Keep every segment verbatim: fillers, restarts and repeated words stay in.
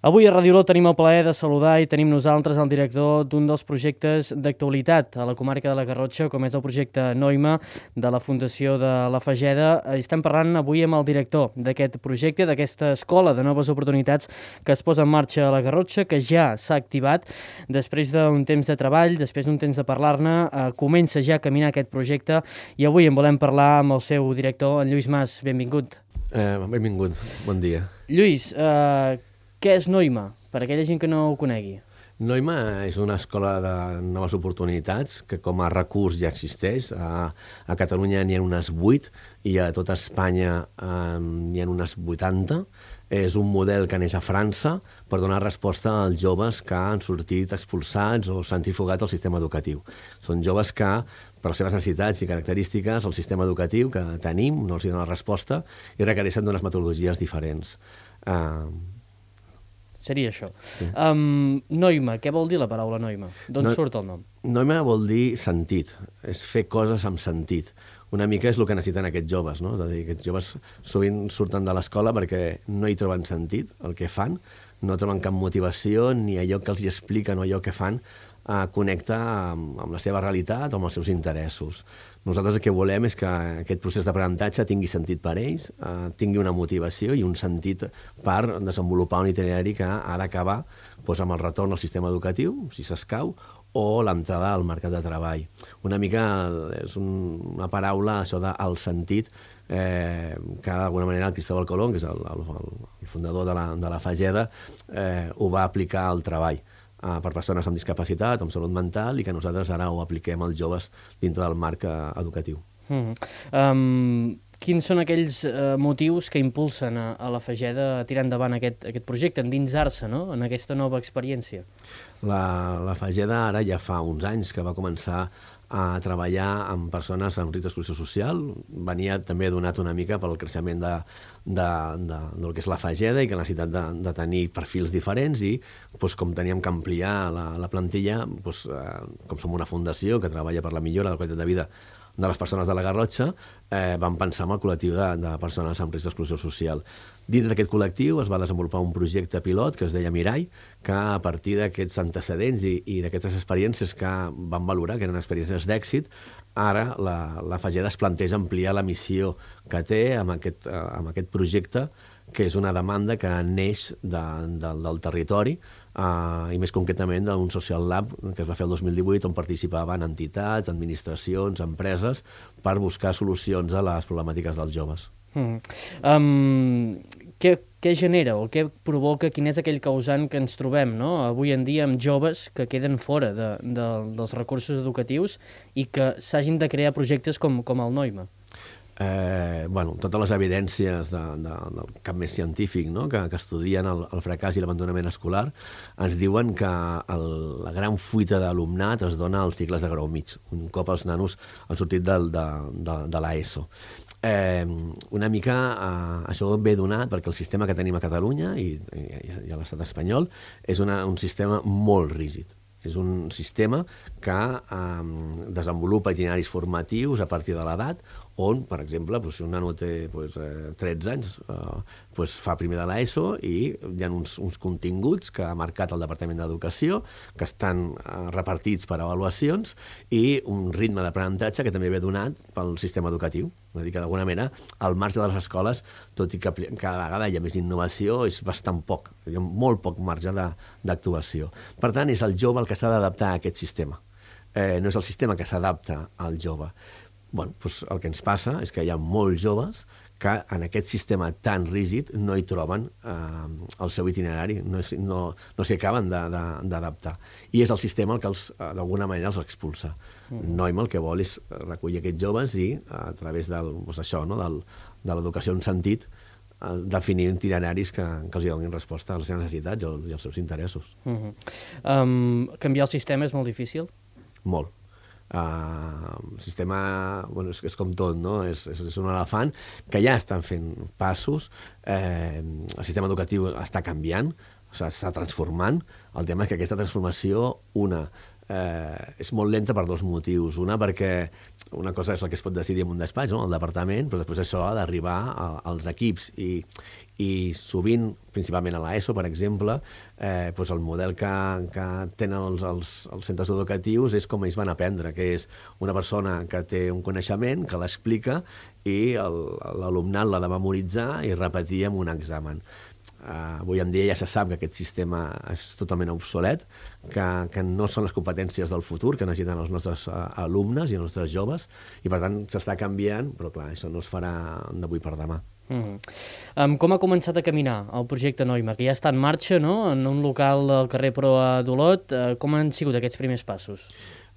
Avui a Ràdio Olot tenim el plaer de saludar i tenim nosaltres el director d'un dels projectes d'actualitat a la comarca de la Garrotxa, com és el projecte Noima de la Fundació de la Fageda. Estem parlant avui amb el director d'aquest projecte, d'aquesta escola de noves oportunitats que es posa en marxa a la Garrotxa, que ja s'ha activat. Després d'un temps de treball, després d'un temps de parlar-ne, eh, comença ja a caminar aquest projecte i avui en volem parlar amb el seu director, en Lluís Mas. Benvingut. Eh, benvingut, bon dia. Lluís, eh, què és Noima, per aquella gent que no ho conegui? Noima és una escola de noves oportunitats que com a recurs ja existeix. A, a Catalunya n'hi ha unes vuit i a tota Espanya eh, n'hi ha unes vuitanta. És un model que neix a França per donar resposta als joves que han sortit expulsats o centrifugat al sistema educatiu. Són joves que, per les seves necessitats i característiques, el sistema educatiu que tenim no els dona resposta i requereixen d'unes metodologies diferents. Eh, Seria això. Sí. Um, Noima, què vol dir la paraula Noima? D'on No- surt el nom? Noima vol dir sentit, és fer coses amb sentit. Una mica és el que necessiten aquests joves, no? És a dir, aquests joves sovint surten de l'escola perquè no hi troben sentit, el que fan, no troben cap motivació ni allò que els hi expliquen o allò que fan eh, connecta amb, amb la seva realitat o amb els seus interessos. Nosaltres el que volem és que aquest procés d'aprenentatge tingui sentit per ells, eh, tingui una motivació i un sentit per desenvolupar un itinerari que ha d'acabar doncs, amb el retorn al sistema educatiu, si s'escau, o l'entrada al mercat de treball. Una mica és un, una paraula, això del sentit, eh, que d'alguna manera el Cristóbal Colón, que és el, el, el fundador de la, de la Fageda, eh, ho va aplicar al treball eh, per persones amb discapacitat, amb salut mental, i que nosaltres ara ho apliquem als joves dintre del marc eh, educatiu. Mm -hmm. um, quins són aquells uh, motius que impulsen a, a la Fageda a tirar endavant aquest, aquest projecte, endinsar-se, no?, en aquesta nova experiència? La, la Fageda ara ja fa uns anys que va començar a treballar amb persones amb risc d'exclusió social. Venia també donat una mica pel creixement de, de, de, del que és la Fageda i que la necessitat de, de tenir perfils diferents i doncs, com teníem que ampliar la, la plantilla, doncs, eh, com som una fundació que treballa per la millora de la qualitat de vida de les persones de la Garrotxa, eh, vam pensar en el col·lectiu de, de persones amb risc d'exclusió social. Dins d'aquest col·lectiu es va desenvolupar un projecte pilot que es deia Mirall, que a partir d'aquests antecedents i, i d'aquestes experiències que van valorar, que eren experiències d'èxit, ara la, la Fageda es planteja ampliar la missió que té amb aquest, eh, amb aquest projecte, que és una demanda que neix de, de, del territori, Uh, i més concretament d'un Social Lab que es va fer el dos mil divuit, on participaven entitats, administracions, empreses, per buscar solucions a les problemàtiques dels joves. Mm. Um, què, què genera o què provoca, quin és aquell causant que ens trobem, no?, avui en dia amb joves que queden fora de, de, dels recursos educatius i que s'hagin de crear projectes com, com el Noima? Eh, bueno, totes les evidències de, de, del camp més científic, no?, que, que estudien el, el fracàs i l'abandonament escolar ens diuen que el, la gran fuita d'alumnat es dona als cicles de grau mig, un cop els nanos han sortit del, de, de, de l'ESO. Eh, una mica eh, això ve donat perquè el sistema que tenim a Catalunya i, i, i a l'estat espanyol és una, un sistema molt rígid. És un sistema que eh, desenvolupa itineraris formatius a partir de l'edat, on, per exemple, doncs, si un nano té doncs, eh, tretze anys, eh, doncs, fa primer de l'ESO i hi ha uns, uns continguts que ha marcat el Departament d'Educació, que estan eh, repartits per avaluacions, i un ritme d'aprenentatge que també ve donat pel sistema educatiu. És a dir, que d'alguna manera, al marge de les escoles, tot i que cada vegada hi ha més innovació, és bastant poc, hi ha molt poc marge d'actuació. Per tant, és el jove el que s'ha d'adaptar a aquest sistema. Eh, no és el sistema que s'adapta al jove. Bueno, doncs el que ens passa és que hi ha molts joves que en aquest sistema tan rígid no hi troben eh, el seu itinerari, no, no, no s'hi acaben d'adaptar. I és el sistema el que d'alguna manera els expulsa. Mm. Noima el que vol és recollir aquests joves i a través del, doncs això, no, del, de l'educació en sentit, eh, definir itineraris que, que els donin resposta a les seves necessitats i als seus interessos. Mm-hmm. um, canviar el sistema és molt difícil? Molt. Uh, el sistema, bueno, és, és com tot, no? És, és, és un elefant que ja estan fent passos, eh, el sistema educatiu està canviant, o sigui, s'està transformant. El tema és que aquesta transformació, una, eh, és molt lenta per dos motius. Una, perquè una cosa és el que es pot decidir en un despatx, no? El departament, però després això ha d'arribar als equips i, i sovint, principalment a l'ESO, per exemple, eh, doncs el model que, que tenen els, els, els centres educatius és com ells van aprendre, que és una persona que té un coneixement, que l'explica i l'alumnat l'ha de memoritzar i repetir en un examen. Uh, avui en dia ja se sap que aquest sistema és totalment obsolet, que, que no són les competències del futur que necessiten els nostres uh, alumnes i els nostres joves, i per tant s'està canviant, però clar, això no es farà d'avui per demà. Mm. Um, com ha començat a caminar el projecte Noima, que ja està en marxa, no?, en un local al carrer Proa d'Olot? Uh, com han sigut aquests primers passos?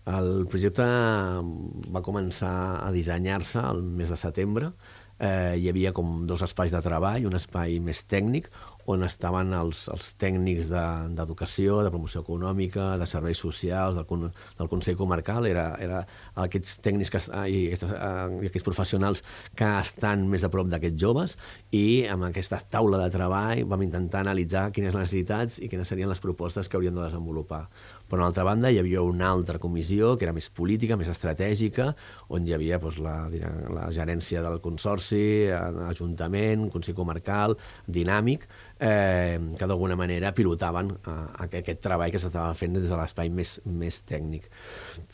El projecte va començar a dissenyar-se el mes de setembre. Eh, hi havia com dos espais de treball, un espai més tècnic, on estaven els, els tècnics d'educació, de, de promoció econòmica, de serveis socials, del, del Consell Comarcal. Era, era aquests tècnics que, i, aquests, i aquests professionals que estan més a prop d'aquests joves, i amb aquesta taula de treball vam intentar analitzar quines necessitats i quines serien les propostes que hauríem de desenvolupar. Per una altra banda, hi havia una altra comissió que era més política, més estratègica, on hi havia doncs, la, la gerència del consorci, l'Ajuntament, Consell Comarcal, Dinàmic, eh, que d'alguna manera pilotaven eh, aquest treball que s'estava fent des de l'espai més, més tècnic.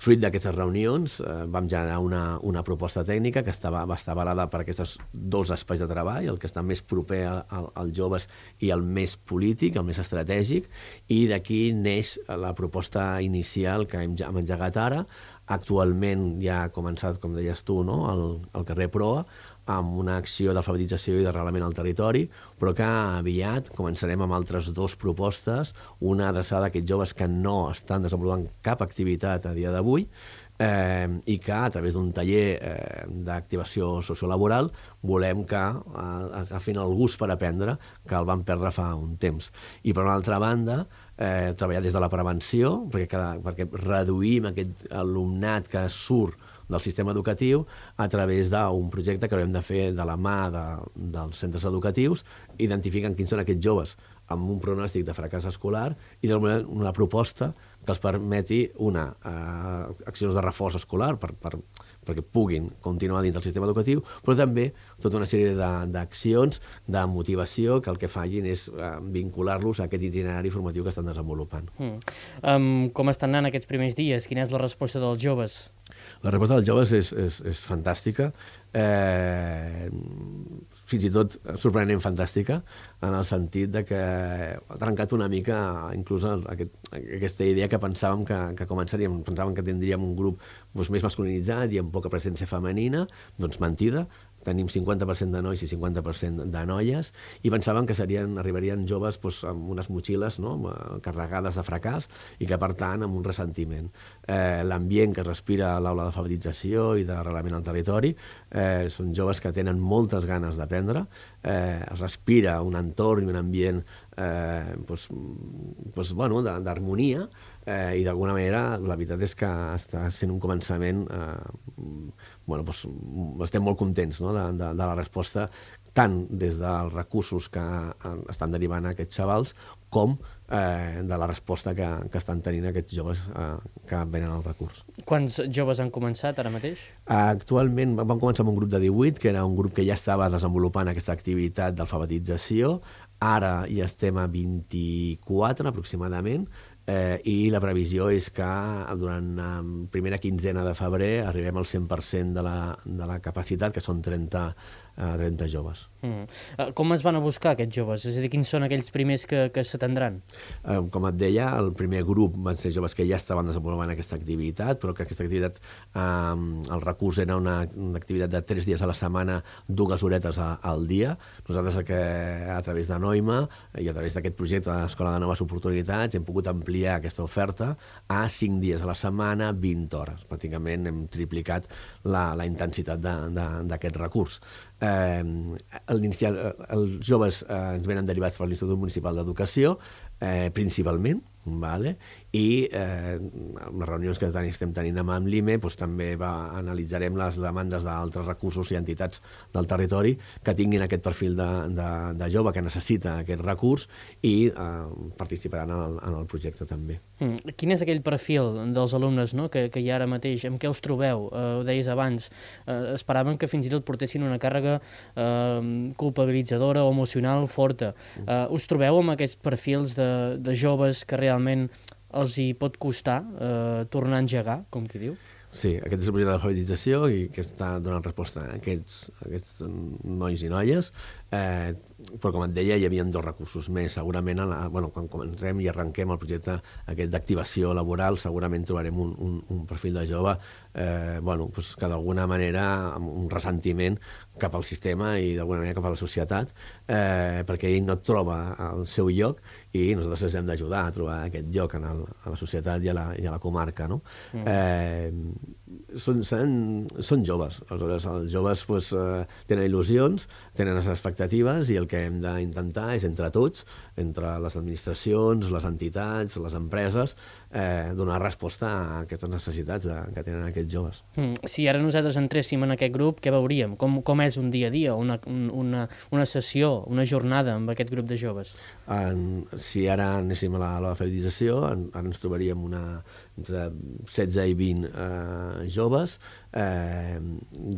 Fruit d'aquestes reunions eh, vam generar una, una proposta tècnica que estava, va estar avalada per aquests dos espais de treball, el que està més proper als joves i el més polític, el més estratègic, i d'aquí neix la proposta inicial que hem, hem engegat ara. Actualment ja ha començat, com deies tu, no?, al, al carrer Proa, amb una acció d'alfabetització i d'arrelament al territori, però que aviat començarem amb altres dues propostes, una adreçada a aquests joves que no estan desenvolupant cap activitat a dia d'avui, eh, i que a través d'un taller eh, d'activació sociolaboral volem que eh, agafin el gust per aprendre, que el van perdre fa un temps. I per una altra banda, eh, treballar des de la prevenció, perquè, cada, perquè reduïm aquest alumnat que surt del sistema educatiu a través d'un projecte que haurem de fer de la mà de, dels centres educatius, identificant quins són aquests joves amb un pronòstic de fracàs escolar i d'alguna una proposta que els permeti una eh, accions de reforç escolar per, per, perquè puguin continuar dins del sistema educatiu, però també tota una sèrie d'accions de, de motivació que el que facin és eh, vincular-los a aquest itinerari formatiu que estan desenvolupant. Mm. Um, com estan anant aquests primers dies? Quina és la resposta dels joves? La resposta dels joves és, és, és fantàstica, eh, fins i tot sorprenentment fantàstica, en el sentit de que ha trencat una mica inclús aquest, aquesta idea que pensàvem que, que començaríem, pensàvem que tindríem un grup doncs, més masculinitzat i amb poca presència femenina, doncs mentida. Tenim cinquanta per cent de nois i cinquanta per cent de noies, i pensàvem que serien, arribarien joves doncs, amb unes motxilles, no?, carregades de fracàs, i que, per tant, amb un ressentiment. Eh, L'ambient que es respira a l'aula d'alfabetització i d'arrelament al territori eh, són joves que tenen moltes ganes d'aprendre, eh, es respira un entorn i un ambient eh, doncs, doncs, bueno, d'harmonia, eh, i d'alguna manera la veritat és que està sent un començament eh, bueno, doncs, estem molt contents, no?, de, de, de la resposta, tant des dels recursos que estan derivant a aquests xavals com eh, de la resposta que, que estan tenint aquests joves eh, que venen al recurs. Quants joves han començat ara mateix? Actualment vam començar amb un grup de divuit, que era un grup que ja estava desenvolupant aquesta activitat d'alfabetització. Ara ja estem a vint-i-quatre aproximadament, eh, i la previsió és que durant la primera quinzena de febrer arribem al cent per cent de la, de la capacitat, que són trenta, eh, trenta joves. Mm. Com es van a buscar aquests joves? És a dir, quins són aquells primers que, que s'atendran? Eh, com et deia, el primer grup van ser joves que ja estaven desenvolupant aquesta activitat, però que aquesta activitat, eh, el recurs era una, una activitat de tres dies a la setmana, dues horetes a, al dia. Nosaltres, que a través de Noima i a través d'aquest projecte de l'Escola de Noves Oportunitats, hem pogut ampliar aquesta oferta a cinc dies a la setmana, vint hores. Pràcticament hem triplicat la, la intensitat d'aquest recurs. Eh, els joves eh, ens venen derivats per l'Institut Municipal d'Educació, eh, principalment, vale? I eh, amb les reunions que ten, estem tenint amb, amb l'I M E doncs, també va, analitzarem les demandes d'altres recursos i entitats del territori que tinguin aquest perfil de, de, de jove que necessita aquest recurs i eh, participaran en el, en el projecte també. Mm. Quin és aquell perfil dels alumnes, no? que, que hi ha ara mateix? Amb què us trobeu? Eh, ho deies abans, eh, esperaven que fins i tot portessin una càrrega eh, culpabilitzadora o emocional forta. Eh, us trobeu amb aquests perfils de, de joves que realment els hi pot costar eh, tornar a engegar, com qui diu? Sí, aquest és el projecte d'alfabetització i que està donant resposta a aquests, a aquests nois i noies, eh, però com et deia hi havia dos recursos més. Segurament a la, bueno, quan comencem i arrenquem el projecte aquest d'activació laboral segurament trobarem un, un, un perfil de jove eh, bueno, pues que d'alguna manera amb un ressentiment cap al sistema i d'alguna manera cap a la societat eh, perquè ell no troba el seu lloc i nosaltres ens hem d'ajudar a trobar aquest lloc en el, a la societat i a la, i a la comarca, no? Mm. Eh, són, són, són joves, aleshores els joves pues, eh, tenen il·lusions, tenen les expectatives i el que hem d'intentar és entre tots, entre les administracions, les entitats, les empreses, eh, donar resposta a aquestes necessitats de, que tenen aquests joves. Mm. Si ara nosaltres entréssim en aquest grup, què veuríem? Com, com és un dia a dia, una, una, una sessió, una jornada amb aquest grup de joves? En, si ara anéssim a l'alfabetització, ara ens trobaríem una, entre setze i vint eh, joves eh,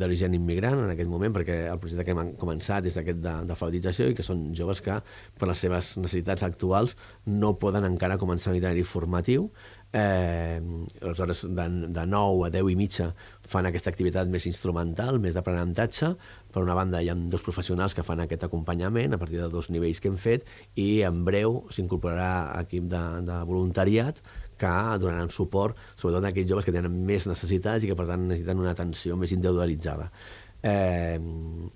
d'origen immigrant en aquest moment, perquè el projecte que hem començat és aquest d'alfabetització i que són joves que per les seves necessitats actuals no poden encara començar un itinerari formatiu. Eh, aleshores de, de nou a deu i mitja fan aquesta activitat més instrumental, més d'aprenentatge. Per una banda hi ha dos professionals que fan aquest acompanyament a partir de dos nivells que hem fet i en breu s'incorporarà equip de, de voluntariat que donaran suport sobretot a aquells joves que tenen més necessitats i que per tant necessiten una atenció més individualitzada. Eh,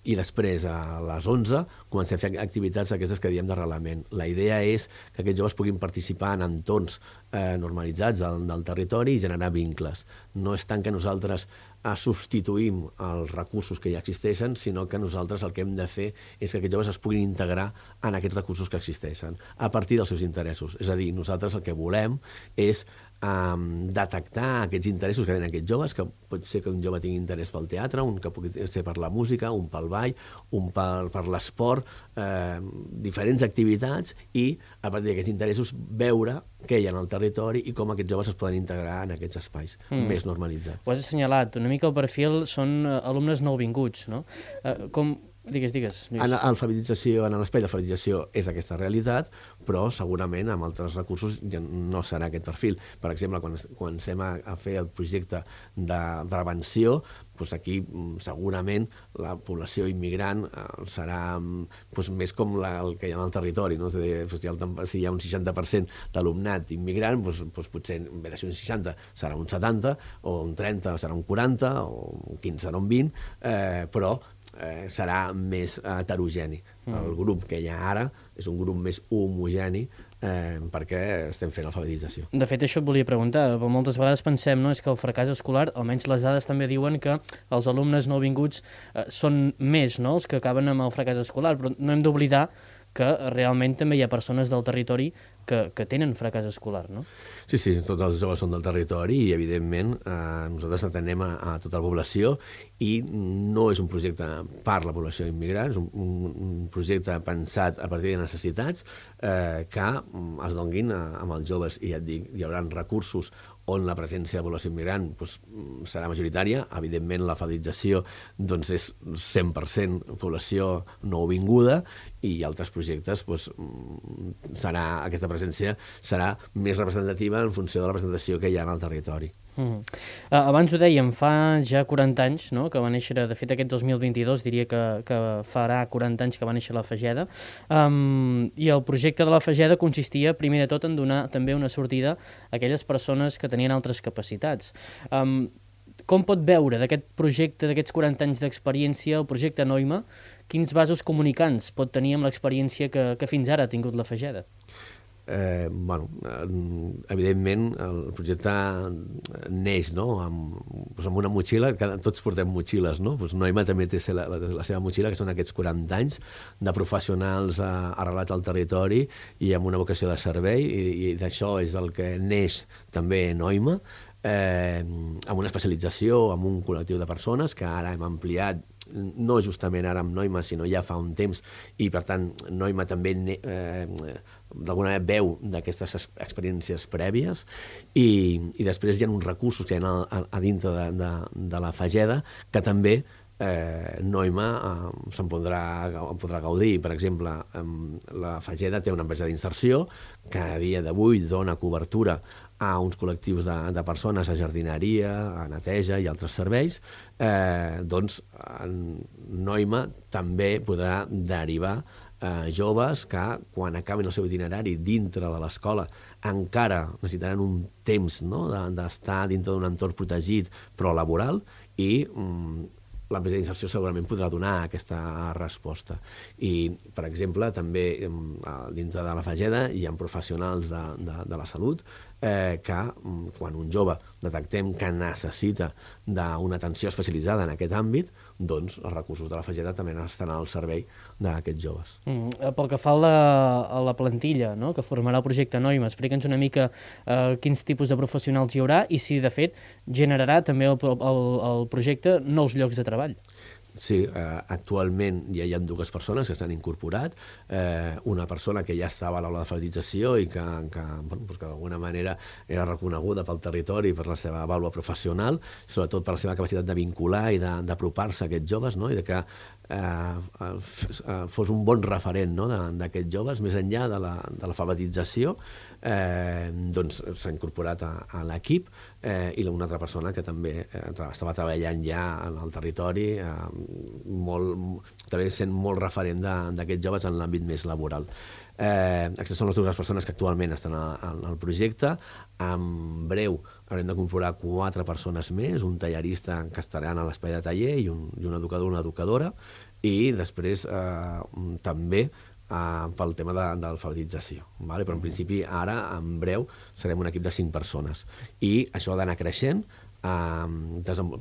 i després a les onze comencem a fer activitats aquestes que diem d'arrelament. La idea és que aquests joves puguin participar en entorns eh, normalitzats del, del territori i generar vincles. No és tant que nosaltres eh, substituïm els recursos que ja existeixen, sinó que nosaltres el que hem de fer és que aquests joves es puguin integrar en aquests recursos que existeixen a partir dels seus interessos. És a dir, nosaltres el que volem és Um, detectar aquests interessos que tenen aquests joves, que pot ser que un jove tingui interès pel teatre, un que pugui ser per la música, un pel ball, un per, per l'esport, eh, diferents activitats i a partir d'aquests interessos veure què hi ha en el territori i com aquests joves es poden integrar en aquests espais mm. més normalitzats. Ho has assenyalat, una mica el perfil són alumnes nouvinguts, no? Eh, com... Digues, digues. En l'alfabetització, en l'espai d'alfabetització és aquesta realitat, però segurament amb altres recursos ja no serà aquest perfil. Per exemple, quan comencem a, a fer el projecte de prevenció, doncs aquí segurament la població immigrant eh, serà doncs, més com la, el que hi ha en el territori. No? Dir, doncs, hi ha el, si hi ha un seixanta per cent d'alumnat immigrant, doncs, doncs potser en vez de ser un seixanta serà un setanta, o un trenta serà un quaranta, o un quinze serà un vint, eh, però Eh, serà més heterogeni. Mm. El grup que hi ha ara és un grup més homogeni eh, perquè estem fent alfabetització. De fet, això et volia preguntar. Moltes vegades pensem, no, és que el fracàs escolar, almenys les dades també diuen que els alumnes nouvinguts eh, són més, no?, els que acaben amb el fracàs escolar, però no hem d'oblidar que realment també hi ha persones del territori que, que tenen fracàs escolar, no? Sí, sí, tots els joves són del territori i, evidentment, eh, nosaltres atenem a, a tota la població i no és un projecte per la població immigrant, és un, un, un projecte pensat a partir de necessitats eh, que es donguin a, amb els joves i ja et dic, hi haurà recursos on la presència de població immigrant doncs, serà majoritària. Evidentment, l'alfabetització doncs, és cent per cent població nouvinguda i altres projectes doncs, serà, aquesta presència serà més representativa en funció de la representació que hi ha en el territori. Mm. Uh, abans ho dèiem, fa ja quaranta anys, no?, que va néixer, de fet aquest dos mil vint-i-dos diria que, que farà quaranta anys que va néixer la Fageda, um, i el projecte de la Fageda consistia primer de tot en donar també una sortida a aquelles persones que tenien altres capacitats. Um, com pot veure d'aquest projecte, d'aquests quaranta anys d'experiència, el projecte Noima, quins vasos comunicants pot tenir amb l'experiència que, que fins ara ha tingut la Fageda? eh, bueno, evidentment el projecte neix, no?, amb, doncs amb una motxilla, que tots portem motxilles, no? Doncs Noima també té la, la, la seva motxilla, que són aquests quaranta anys de professionals eh, arrelats al territori i amb una vocació de servei, i, i d'això és el que neix també Noima, eh, amb una especialització, amb un col·lectiu de persones que ara hem ampliat, no justament ara amb Noima, sinó ja fa un temps, i per tant Noima també eh, d'alguna manera veu d'aquestes experiències prèvies, i, i després hi ha uns recursos que hi ha a, a, a dintre de, de, de la Fageda que també eh, Noima eh, se'n podrà, podrà gaudir. Per exemple, eh, la Fageda té una empresa d'inserció que a dia d'avui dona cobertura a uns col·lectius de, de persones a jardineria, a neteja i altres serveis, eh, doncs Noima també podrà derivar eh, joves que, quan acabin el seu itinerari dintre de l'escola, encara necessitaran un temps, no?, d'estar dintre d'un entorn protegit però laboral, i mm, l'empresa d'inserció segurament podrà donar aquesta resposta. I, per exemple, també dintre de la Fageda hi ha professionals de, de, de la salut eh, que, quan un jove detectem que necessita d'una atenció especialitzada en aquest àmbit, doncs els recursos de la Fageda també estan al servei d'aquests joves. Mm, pel que fa a la, a la plantilla, no?, que formarà el projecte Noima, explica'ns una mica eh, quins tipus de professionals hi haurà i si, de fet, generarà també el, el, el projecte nous llocs de treball. Sí, eh, actualment ja hi ha dues persones que s'han incorporat, eh, una persona que ja estava a l'aula d'alfabetització i que, que, bueno, doncs que d'alguna manera era reconeguda pel territori per la seva vàlua professional, sobretot per la seva capacitat de vincular i d'apropar-se a aquests joves, no?, i de que eh, fos un bon referent, no?, d'aquests joves, més enllà de l'alfabetització. Eh, doncs s'ha incorporat a, a l'equip, eh, i una altra persona que també eh, estava treballant ja en el territori, eh, molt, també sent molt referent d'aquests joves en l'àmbit més laboral. Eh, aquestes són les dues persones que actualment estan al projecte. En breu haurem d'incorporar quatre persones més, un tallerista que estaran a l'espai de taller i un, i un educador o una educadora, i després eh, també Uh, pel tema de, de l'alfabetització. Vale? Però en principi ara, en breu, serem un equip de cinc persones. I això ha d'anar creixent, uh,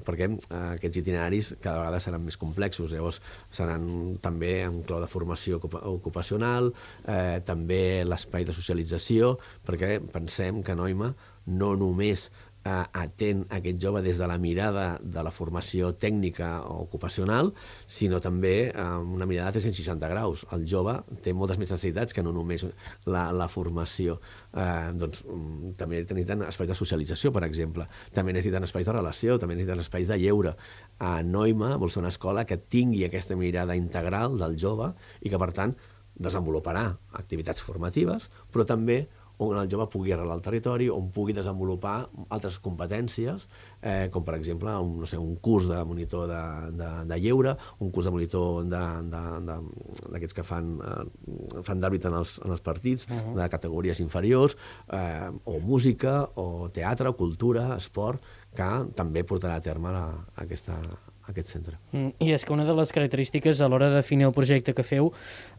perquè uh, aquests itineraris cada vegada seran més complexos. Llavors seran també en clau de formació ocupacional, eh, també l'espai de socialització, perquè pensem que Noima no només atén aquest jove des de la mirada de la formació tècnica o ocupacional, sinó també amb una mirada de tres-cents seixanta graus. El jove té moltes més necessitats que no només la, la formació. Eh, doncs, també necessiten espais de socialització, per exemple. També necessiten espais de relació, també necessiten espais de lleure. A Noima vol ser una escola que tingui aquesta mirada integral del jove i que, per tant, desenvoluparà activitats formatives, però també on el jove pugui arrelar al territori, on pugui desenvolupar altres competències, eh, com per exemple un, no sé, un curs de monitor de, de, de lleure, un curs de monitor d'aquests que fan, eh, fan d'àrbit en, els, en els partits, uh-huh. de categories inferiors, eh, o música, o teatre, o cultura, esport, que també portarà a terme la, aquesta aquest centre. Mm, I és que una de les característiques a l'hora de definir el projecte que feu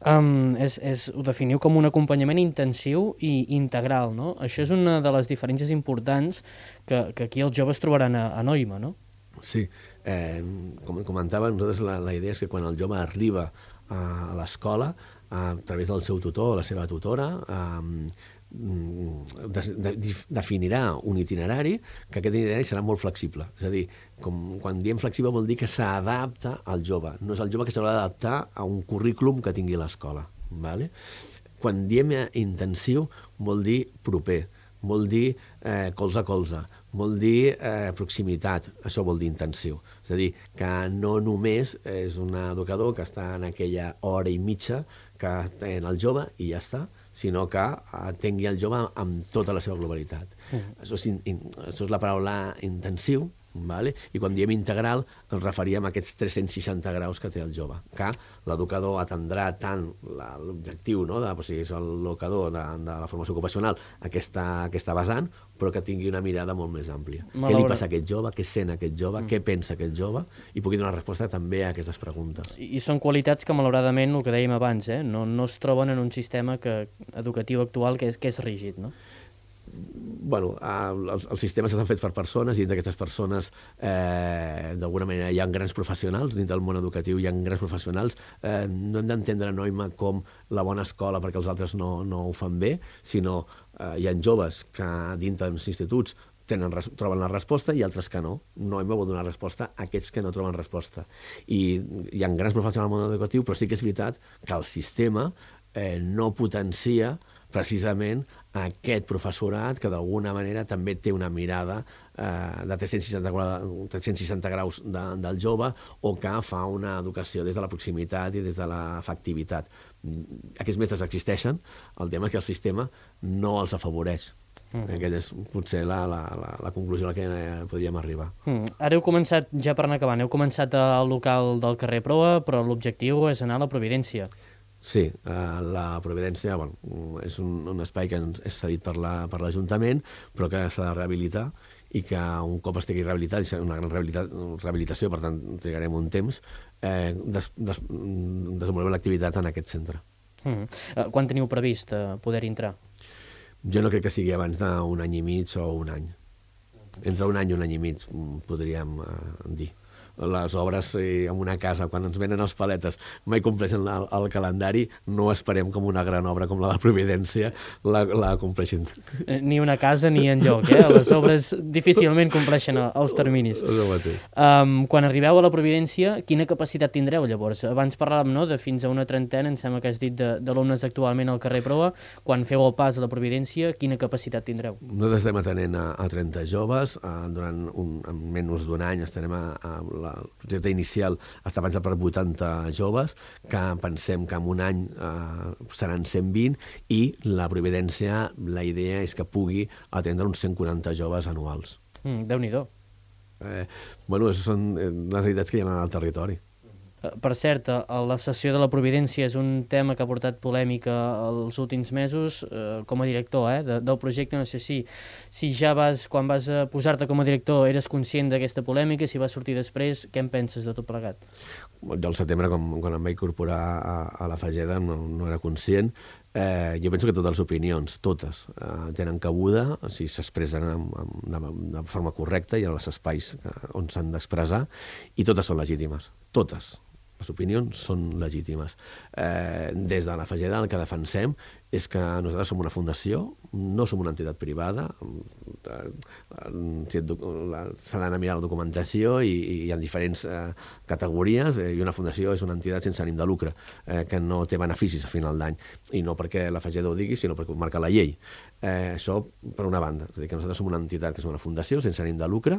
um, és, és, ho definiu com un acompanyament intensiu i integral, no? Això és una de les diferències importants que, que aquí els joves trobaran a, a Noima, no? Sí, eh, com comentava, nosaltres la, la idea és que quan el jove arriba a l'escola, a través del seu tutor o la seva tutora, eh, De, de, definirà un itinerari, que aquest itinerari serà molt flexible. És a dir, com, quan diem flexible vol dir que s'adapta al jove. No és el jove que s'haurà d'adaptar a un currículum que tingui l'escola. Vale? Quan diem intensiu vol dir proper, vol dir eh, colze a colze, vol dir eh, proximitat. Això vol dir intensiu. És a dir, que no només és un educador que està en aquella hora i mitja que té en el jove i ja està, sinó que atengui el jove amb tota la seva globalitat. Uh-huh. Això, és in, in, això és la paraula intensiu, Vale? I quan diem integral ens referíem a aquests tres-cents seixanta graus que té el jove, que l'educador atendrà tant l'objectiu, no? de, o sigui, és l'educador de, de la formació ocupacional, aquesta, aquesta vessant, però que tingui una mirada molt més àmplia. Què li passa a aquest jove, què sent aquest jove, mm. què pensa aquest jove, i pugui donar resposta també a aquestes preguntes. I, i són qualitats que, malauradament, el que dèiem abans, eh? no, no es troben en un sistema que, educatiu actual que és, que és rígid, no? Bueno, els, els sistemes estan fets per persones i d'aquestes persones eh, d'alguna manera hi ha grans professionals, dins del món educatiu hi ha grans professionals. Eh, no hem d'entendre Noima com la bona escola perquè els altres no, no ho fan bé, sinó eh, hi ha joves que dins dels instituts tenen, troben la resposta i altres que no. Noima vol donar resposta a aquests que no troben resposta. I hi ha grans professionals al món educatiu, però sí que és veritat que el sistema eh, no potencia precisament aquest professorat que d'alguna manera també té una mirada eh, de tres-cents seixanta graus de, del jove o que fa una educació des de la proximitat i des de l'efectivitat. Aquests mestres existeixen, el tema és que el sistema no els afavoreix. Mm. Aquesta és potser la, la, la, la conclusió a la que podríem arribar. Mm. Ara heu començat, ja per anar acabant, heu començat al local del carrer Proa, però l'objectiu és anar a la Providència. Sí, eh, la Providència bueno, és un, un espai que és cedit per l'Ajuntament, la, però que s'ha de rehabilitar i que un cop estigui rehabilitat, és una gran rehabilitació, per tant trigarem un temps, eh, des, des, desenvolupem l'activitat en aquest centre. Mm. Uh, quan teniu previst uh, poder entrar? Jo no crec que sigui abans d'un any i mig o un any. Entre un any i un any i mig, podríem eh, dir. Les obres eh, en una casa, quan ens venen els paletes, mai compleixen el, el calendari, no esperem com una gran obra com la de Providència la, la compleixin. Ni una casa ni enlloc, eh? Les obres difícilment compleixen els terminis. És el mateix. Um, quan arribeu a la Providència, quina capacitat tindreu llavors? Abans parlàvem, no?, de fins a una trentena, em sembla que has dit, d'alumnes actualment al carrer Proa. Quan feu el pas a la Providència, quina capacitat tindreu? Nosaltres estem atenent a, a trenta joves, a, durant un, en menys d'un any estarem a, a la el projecte inicial està pensat per vuitanta joves, que pensem que en un any eh, seran cent vint, i la Providència, la idea és que pugui atendre uns cent quaranta joves anuals. Mm, Déu-n'hi-do. Eh, bueno, són les idees que hi ha al territori. Per cert, la cessió de la Providència és un tema que ha portat polèmica els últims mesos. Eh, com a director eh, de, del projecte, no sé si, si ja vas, quan vas posar-te com a director, eres conscient d'aquesta polèmica, si va sortir després, què en penses de tot plegat? Jo al setembre, com, quan em vaig incorporar a, a la Fageda, no, no era conscient. Eh, jo penso que totes les opinions, totes, eh, tenen cabuda si s'expressen de, de forma correcta i en els espais on s'han d'expressar, i totes són legítimes, totes. Les opinions són legítimes. Eh, des de la Fageda el que defensem és que nosaltres som una fundació, no som una entitat privada, s'ha d'anar a mirar la documentació i, i hi ha diferents eh, categories, eh, i una fundació és una entitat sense ànim de lucre, eh, que no té beneficis a final d'any, i no perquè la Fageda ho digui, sinó perquè ho marca la llei. Eh, això per una banda, és a dir, que nosaltres som una entitat que és una fundació sense ànim de lucre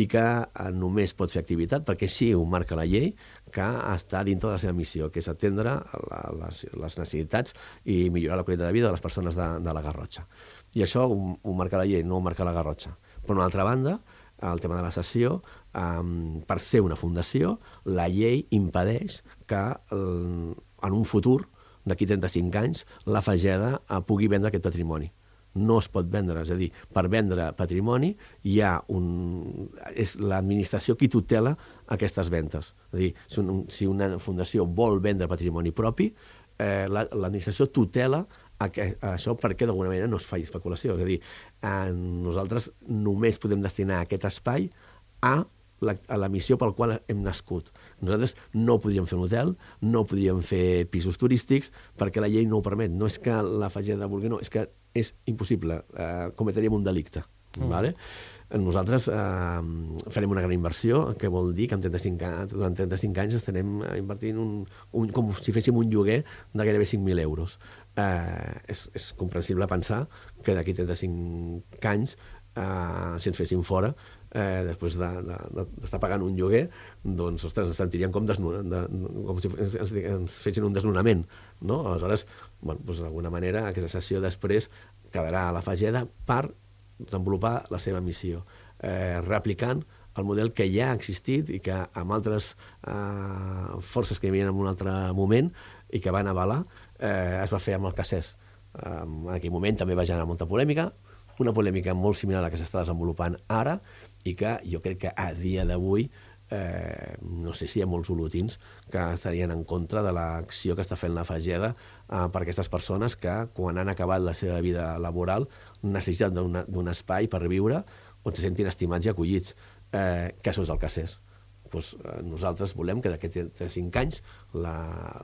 i que eh, només pot fer activitat perquè així ho marca la llei, que està dintre de la seva missió, que és atendre la, les, les necessitats i millorar la qualitat de vida de les persones de, de la Garrotxa. I això ho, ho marca la llei, no ho marca la Garrotxa. Per una altra banda, el tema de la cessió, um, per ser una fundació, la llei impedeix que um, en un futur, d'aquí trenta-cinc anys, la Fageda uh, pugui vendre aquest patrimoni. No es pot vendre, és a dir, per vendre patrimoni hi ha un... és l'administració qui tutela aquestes ventes. És a dir, si, un, si una fundació vol vendre patrimoni propi, eh, l'administració tutela a que, a això perquè d'alguna manera no es faci especulació. És a dir, eh, nosaltres només podem destinar aquest espai a la, a la missió pel qual hem nascut. Nosaltres no podríem fer un hotel, no podríem fer pisos turístics, perquè la llei no ho permet. No és que la Fageda vulgui, no, és que és impossible, eh, cometríem un delicte. Mm. Vale? Nosaltres eh, farem una gran inversió, que vol dir que en trenta-cinc, durant trenta-cinc anys estarem invertint un, un, com si féssim un lloguer de gairebé cinc mil euros. Eh, és, és comprensible pensar que d'aquí trenta-cinc anys, eh, si ens fessin fora, eh, després d'estar de, de, pagant un lloguer, doncs, ostres, ens sentiríem com, desnu, de, com si ens, ens fessin un desnonament, no? Aleshores, bueno, doncs, d'alguna manera, aquesta sessió després quedarà a la Fageda per desenvolupar la seva missió, eh, replicant el model que ja ha existit i que amb altres eh, forces que hi havia en un altre moment i que van avalar, eh, es va fer amb el Cassés. Eh, en aquell moment també va generar molta polèmica, una polèmica molt similar a la que s'està desenvolupant ara i que jo crec que a dia d'avui Eh, no sé si hi ha molts olotins que estarien en contra de l'acció que està fent la Fageda eh, per aquestes persones que, quan han acabat la seva vida laboral, necessiten d'un espai per viure on se sentin estimats i acollits. Eh, que això és el Cassés. Pues, eh, nosaltres volem que d'aquests cinc anys la,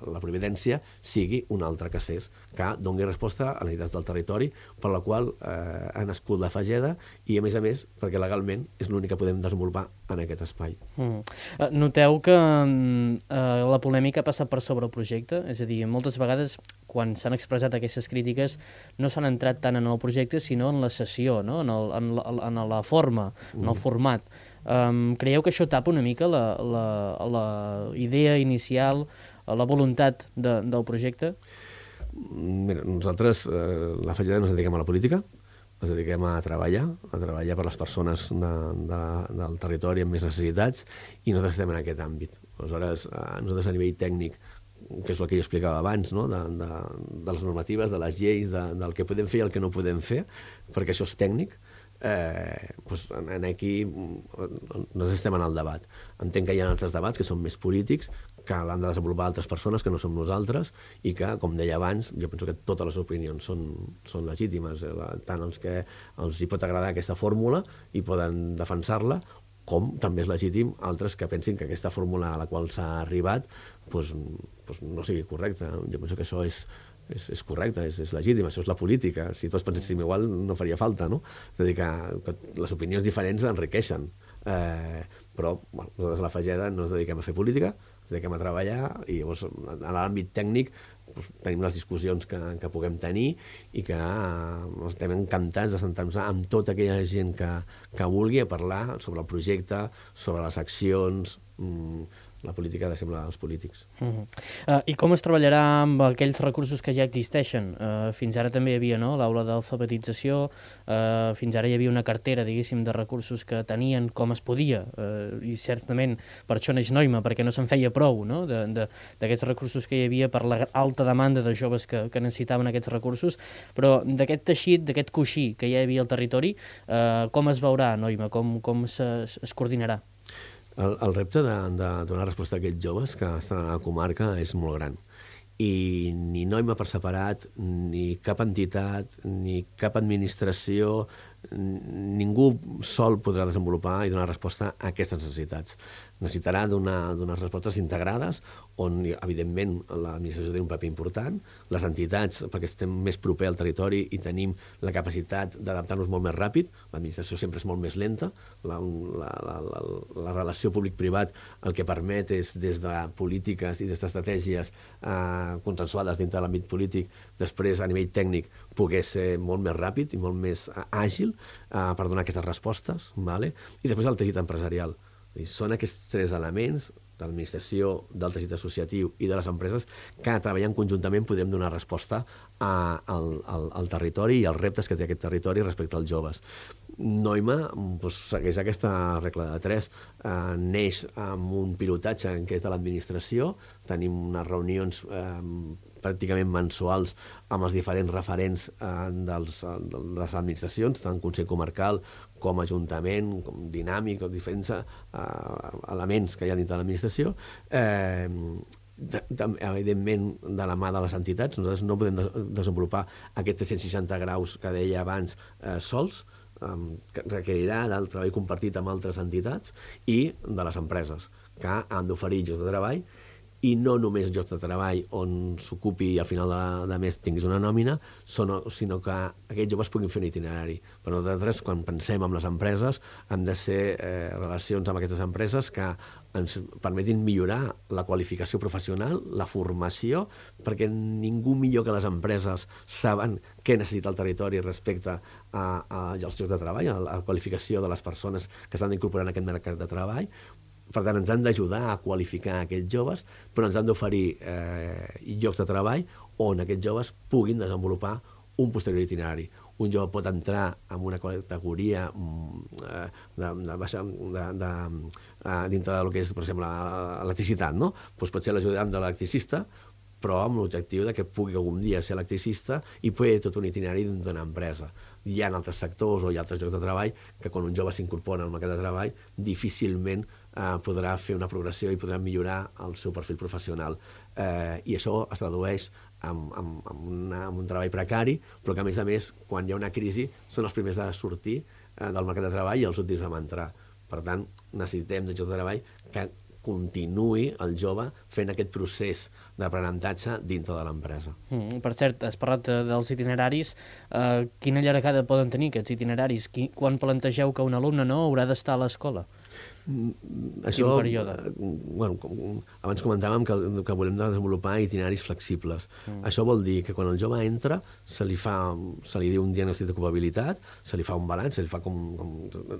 la Providència sigui un altre Cassés que doni resposta a les necessitats del territori per la qual eh, ha nascut la Fageda i, a més a més, perquè legalment és l'únic que podem desenvolupar en aquest espai. Mm. Noteu que eh, la polèmica ha passat per sobre el projecte? És a dir, moltes vegades, quan s'han expressat aquestes crítiques, no s'han entrat tant en el projecte, sinó en la sessió, no? en, el, en, la, en la forma, en el format. Um, creieu que això tapa una mica la, la, la idea inicial, la voluntat de, del projecte? Mira, nosaltres, eh, la Fageda, ens dediquem a la política, ens dediquem a treballar, a treballar per les persones de, de, del territori amb més necessitats, i nosaltres estem en aquest àmbit. Aleshores, eh, nosaltres a nivell tècnic, que és el que jo explicava abans, no? de, de, de les normatives, de les lleis, de, del que podem fer i el que no podem fer, perquè això és tècnic, Eh, doncs en aquí nosaltres estem en el debat. Entenc que hi ha altres debats que són més polítics, que l'han de desenvolupar altres persones que no som nosaltres i que, com deia abans, jo penso que totes les opinions són, són legítimes, tant els que els hi pot agradar aquesta fórmula i poden defensar-la, com també és legítim altres que pensin que aquesta fórmula a la qual s'ha arribat doncs, doncs no sigui correcta. Jo penso que això és És, és correcte, és, és legítim, això és la política. Si tots penséssim igual no faria falta, no? És a dir, que, que les opinions diferents enriqueixen. Eh, però, bueno, nosaltres a la Fageda no ens dediquem a fer política, ens dediquem a treballar i llavors en l'àmbit tècnic doncs, tenim les discussions que, que puguem tenir i que eh, estem encantats de sentar-nos amb tota aquella gent que, que vulgui a parlar sobre el projecte, sobre les accions. Mm, la política ha de semblar als polítics. Uh-huh. uh, I com es treballarà amb aquells recursos que ja existeixen? Uh, fins ara també hi havia, no?, l'aula d'alfabetització, uh, fins ara hi havia una cartera, diguéssim, de recursos que tenien com es podia, uh, i certament per això neix Noima, perquè no se'n feia prou, no?, d'aquests recursos que hi havia per la alta demanda de joves que, que necessitaven aquests recursos, però d'aquest teixit, d'aquest coixí que ja hi havia al territori, uh, com es veurà Noima? Com, com se, es coordinarà? El, el repte de, de donar resposta a aquests joves que estan a la comarca és molt gran. I ni Noima per separat, ni cap entitat, ni cap administració, ningú sol podrà desenvolupar i donar resposta a aquestes necessitats. Necessitarà donar respostes integrades on, evidentment, l'administració té un paper important, les entitats, perquè estem més proper al territori i tenim la capacitat d'adaptar-nos molt més ràpid, l'administració sempre és molt més lenta, la, la, la, la, la relació públic-privat el que permet és, des de polítiques i des d'estratègies eh, consensuades dintre de l'àmbit polític, després, a nivell tècnic, poder ser molt més ràpid i molt més eh, àgil eh, per donar aquestes respostes, vale? I després el teixit empresarial. I són aquests tres elements de l'administració, del teixit associatiu i de les empreses que treballant conjuntament podrem donar resposta a, al, al, al territori i als reptes que té aquest territori respecte als joves. Noima doncs, segueix aquesta regla de tres, eh, neix amb un pilotatge en què és de l'administració, tenim unes reunions eh, pràcticament mensuals amb els diferents referents eh, dels, de les administracions, tant Consell Comarcal com Ajuntament, com Dinàmic, com diferents eh, elements que hi ha dintre de l'administració. Eh, de, de, evidentment, de la mà de les entitats, nosaltres no podem de, desenvolupar aquests tres-cents seixanta graus que deia abans eh, sols, eh, que requerirà del treball compartit amb altres entitats i de les empreses, que han d'oferir llocs de treball, i no només llocs de treball on s'ocupi i al final de, de mes tinguis una nòmina, sinó, sinó que aquests joves puguin fer un itinerari. Per nosaltres, quan pensem en les empreses, han de ser eh, relacions amb aquestes empreses que ens permetin millorar la qualificació professional, la formació, perquè ningú millor que les empreses saben què necessita el territori respecte a, a, als llocs de treball, a la qualificació de les persones que s'han d'incorporar en aquest mercat de treball. Per tant, ens han d'ajudar a qualificar aquests joves, però ens han d'oferir eh, llocs de treball on aquests joves puguin desenvolupar un posterior itinerari. un jove pot entrar en una categoria eh, de, de, de, de, de, dintre del que és, per exemple, l'electricitat, no? Pues pot ser l'ajudant de l'electricista, però amb l'objectiu de que pugui algun dia ser electricista i fer tot un itinerari d'una empresa. Hi ha altres sectors o hi ha altres llocs de treball que quan un jove s'incorpora al mercat de treball difícilment eh, podrà fer una progressió i podrà millorar el seu perfil professional. Eh, I això es tradueix en, en, en, una, en un treball precari, però que a més a més, quan hi ha una crisi, són els primers a sortir eh, del mercat de treball i els últims a entrar. Per tant, necessitem de llocs de treball que continuï el jove fent aquest procés d'aprenentatge dintre de l'empresa. Mm, per cert, has parlat de, dels itineraris. Uh, quina llargada poden tenir aquests itineraris? Qui, quan plantegeu que un alumne no haurà d'estar a l'escola? Mm, això, eh, bueno, com, abans comentàvem que, que volem desenvolupar itineraris flexibles. Mm. Això vol dir que quan el jove entra se li fa, se li diu un diagnòstic d'ocupabilitat, se li fa un balanç, se li fa com, com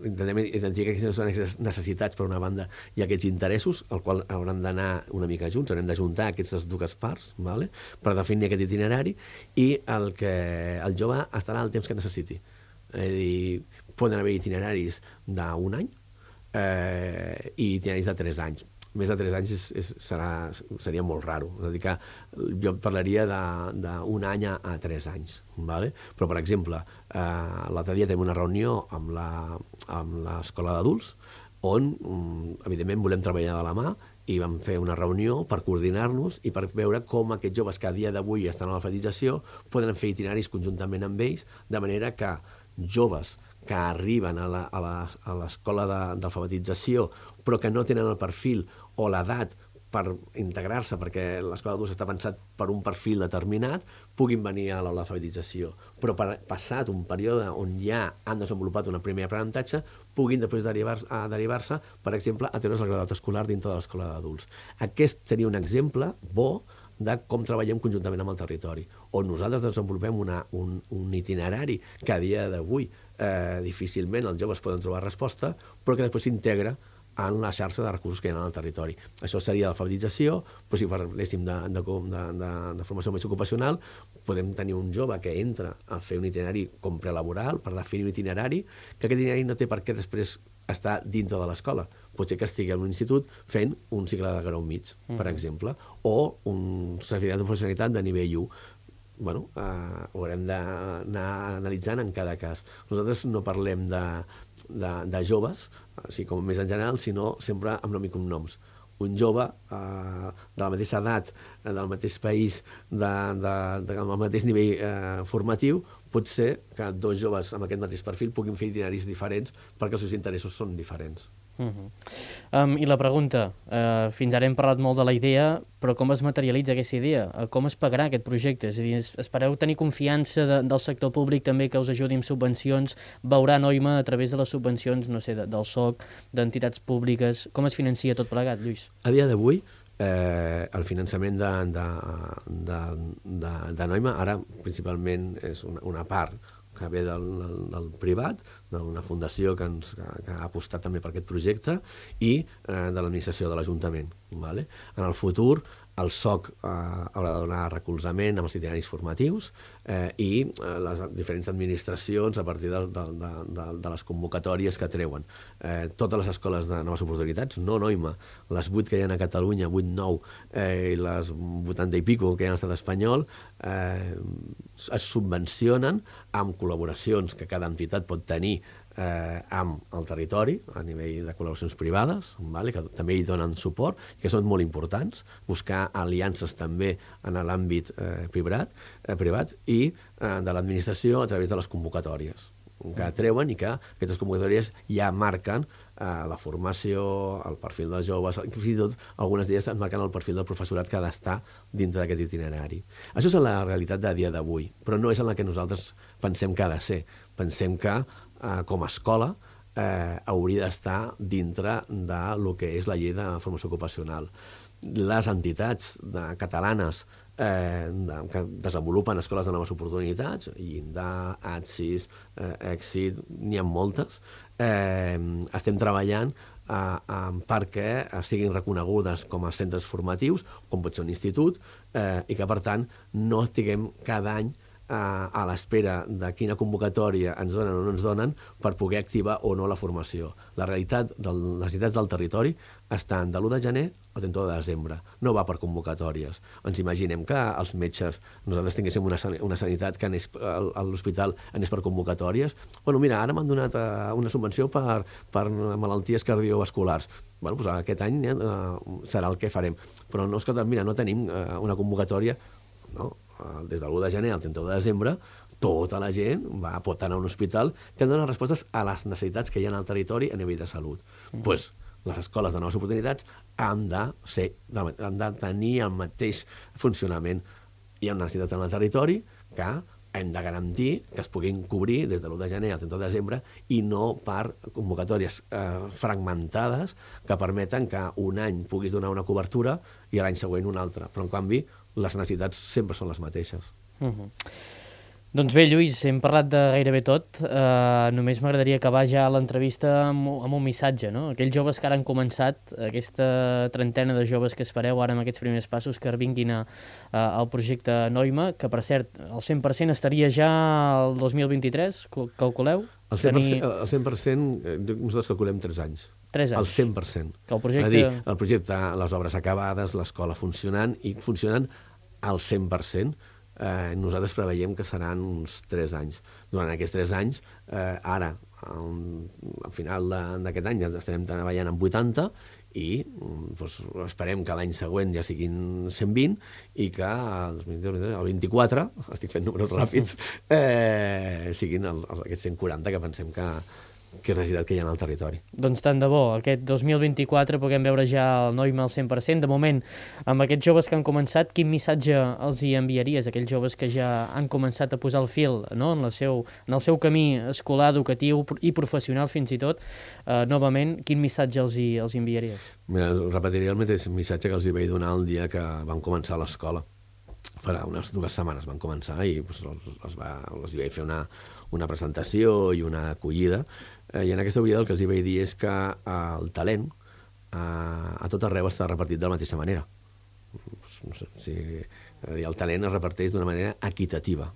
intentem identificar quines són aquestes necessitats per una banda i aquests interessos, al qual hauran d'anar una mica junts, haurem d'ajuntar aquestes dues parts, vale? Per definir aquest itinerari, i el que el jove estarà el temps que necessiti. És a dir, poden haver itineraris d'un any, Eh, i itineraris de tres anys. Més de tres anys és, és, serà, seria molt raro. És a dir, que jo parlaria d'un any a, a tres anys. Vale? Però, per exemple, eh, l'altre dia tenim una reunió amb la, amb l'escola d'adults on, evidentment, volem treballar de la mà i vam fer una reunió per coordinar-nos i per veure com aquests joves que a dia d'avui estan a l'alfabetització poden fer itineraris conjuntament amb ells, de manera que joves que arriben a l'escola d'alfabetització però que no tenen el perfil o l'edat per integrar-se, perquè l'escola d'adults està pensat per un perfil determinat, puguin venir a l'alfabetització. Però per, passat un període on ja han desenvolupat un primer aprenentatge, puguin després derivar-se, derivar-se, per exemple, a treure's el graduat escolar dintre de l'escola d'adults. Aquest seria un exemple bo de com treballem conjuntament amb el territori, on nosaltres desenvolupem una, un, un itinerari que a dia d'avui eh, difícilment els joves poden trobar resposta, però que després s'integra en la xarxa de recursos que hi ha en el territori. Això seria l'alfabetització, però si parléssim de, de, de, de, de formació més ocupacional, podem tenir un jove que entra a fer un itinerari com prelaboral, per definir un itinerari, que aquest itinerari no té per què després estar dintre de l'escola. Pot ser que estigui en un institut fent un cicle de grau mig, mm. per exemple, o un certificat de professionalitat de nivell u. Bueno, eh, ho haurem d'anar analitzant en cada cas. Nosaltres no parlem de, de, de joves, així com més en general, sinó sempre amb nom i cognoms. Un jove eh, de la mateixa edat, del mateix país, de, de, de, del mateix nivell eh, formatiu, pot ser que dos joves amb aquest mateix perfil puguin fer itineraris diferents perquè els seus interessos són diferents. Uh -huh. um, I la pregunta, uh, fins ara hem parlat molt de la idea, però com es materialitza aquesta idea? Uh, com es pagarà aquest projecte? És a dir, espereu tenir confiança de, del sector públic també que us ajudi amb subvencions? Veurà Noima a través de les subvencions, no sé, de, del S O C, d'entitats públiques? Com es financia tot plegat, Lluís? A dia d'avui, eh, el finançament de, de, de, de, de Noima ara principalment és una, una part que ve del, del, del privat, d'una fundació que, ens, que, que ha apostat també per aquest projecte, i eh, de l'administració de l'Ajuntament. Vale? En el futur, el S O C eh, haurà de donar recolzament amb els itineraris formatius eh, i eh, les diferents administracions a partir de, de, de, de, de les convocatòries que treuen. Eh, totes les escoles de noves oportunitats, no Noima, les vuit que hi ha a Catalunya, vuit, nou, eh, i les vuitanta i pico que hi ha a l'estat espanyol, eh, es subvencionen amb col·laboracions que cada entitat pot tenir Eh, amb el territori, a nivell de col·laboracions privades, vale, que també hi donen suport, que són molt importants, buscar aliances també en l'àmbit eh, privat, eh, privat i eh, de l'administració a través de les convocatòries que treuen i que aquestes convocatòries ja marquen eh, la formació, el perfil dels joves, fins i tot algunes d'elles marquen el perfil del professorat que ha d'estar dintre d'aquest itinerari. Això és la realitat de dia d'avui, però no és en la que nosaltres pensem que ha de ser. Pensem que Eh, com a escola, eh, hauria d'estar dintre de lo que és la llei de formació ocupacional. Les entitats de, catalanes eh, de, que desenvolupen escoles de noves oportunitats, Llindar, ATSIS, eh, Èxit, n'hi ha moltes, eh, estem treballant eh, eh, perquè siguin reconegudes com a centres formatius, com pot ser un institut, eh, i que, per tant, no estiguem cada any a, a l'espera de quina convocatòria ens donen o no ens donen per poder activar o no la formació. La realitat de les necessitats del territori estan de l'u de gener al trenta-u de desembre. No va per convocatòries. Ens imaginem que els metges, nosaltres tinguéssim una, una sanitat que anés a l'hospital anés per convocatòries. Bueno, mira, ara m'han donat una subvenció per, per malalties cardiovasculars. Bueno, doncs aquest any eh, serà el que farem. Però no, escolta, mira, no tenim eh, una convocatòria, no? Des de l'u de gener al trenta-u de desembre, tota la gent va, pot anar a un hospital que dona respostes a les necessitats que hi ha al territori a nivell de salut. Doncs mm. pues, les escoles de noves oportunitats han de, ser, han de tenir el mateix funcionament. Hi ha una necessitat en el territori que hem de garantir que es puguin cobrir des de l'u de gener al trenta-u de desembre i no per convocatòries eh, fragmentades que permeten que un any puguis donar una cobertura i l'any següent una altra. Però, en canvi, les necessitats sempre són les mateixes. Uh-huh. Doncs bé, Lluís, hem parlat de gairebé tot. Uh, només m'agradaria acabar ja l'entrevista amb, amb un missatge, no? Aquells joves que ara han començat, aquesta trentena de joves que espereu ara amb aquests primers passos que vinguin a, a, al projecte Noima, que per cert, el cent per cent estaria ja el dos mil vint-i-tres, calculeu? El cent per cent, tenir... el cent per cent nosaltres calculem tres anys. tres anys? El cent per cent. Que el projecte... És a dir, el projecte, les obres acabades, l'escola funcionant, i funcionant al cent per cent. Eh, nosaltres preveiem que seran uns tres anys. Durant aquests tres anys, eh, ara, al, al final d'aquest any, ja estarem treballant amb vuitanta i doncs, esperem que l'any següent ja siguin cent vint i que el vint-i-quatre, estic fent números ràpids, eh, siguin el, el, aquests cent quaranta que pensem que, que és la necessitat que hi ha al territori. Doncs tant de bo, aquest dos mil vint-i-quatre puguem veure ja el Noima al cent per cent. De moment, amb aquests joves que han començat, quin missatge els hi enviaries? Aquells joves que ja han començat a posar el fil, no? en, la seu, en el seu camí escolar, educatiu i professional fins i tot, eh, novament, quin missatge els hi, els hi enviaries? Mira, repetiria el mateix missatge que els hi vaig donar el dia que van començar a l'escola. Farà unes dues setmanes van començar i doncs, els, els, va, els hi vaig fer una, una presentació i una acollida. Eh, I en aquesta acollida el que els hi vaig dir és que eh, el talent eh, a tot arreu està repartit de la mateixa manera. No sé, si, el talent es reparteix d'una manera equitativa.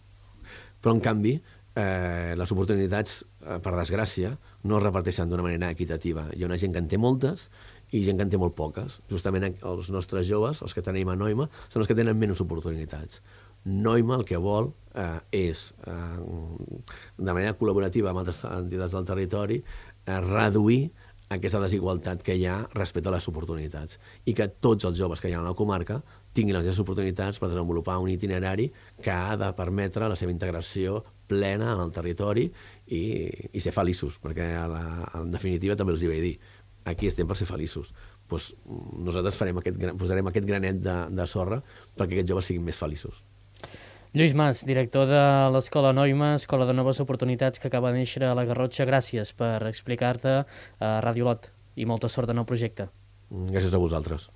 Però, en canvi, eh, les oportunitats, eh, per desgràcia, no es reparteixen d'una manera equitativa. Hi ha una gent que en té moltes i gent que en té molt poques. Justament els nostres joves, els que tenim a Noima, són els que tenen menys oportunitats. Noima el que vol eh, és, eh, de manera col·laborativa amb altres entitats del territori, eh, reduir aquesta desigualtat que hi ha respecte a les oportunitats i que tots els joves que hi ha a la comarca tinguin les mateixes oportunitats per desenvolupar un itinerari que ha de permetre la seva integració plena en el territori i, i ser feliços, perquè a la, en definitiva també els hi vaig dir, aquí estem per ser feliços. Pues, nosaltres farem aquest, posarem aquest granet de, de sorra perquè aquests joves siguin més feliços. Lluís Mas, director de l'Escola Noima, Escola de Noves Oportunitats que acaba de néixer a la Garrotxa, gràcies per explicar-te a Ràdio Lot i molta sort en el projecte. Gràcies a vosaltres.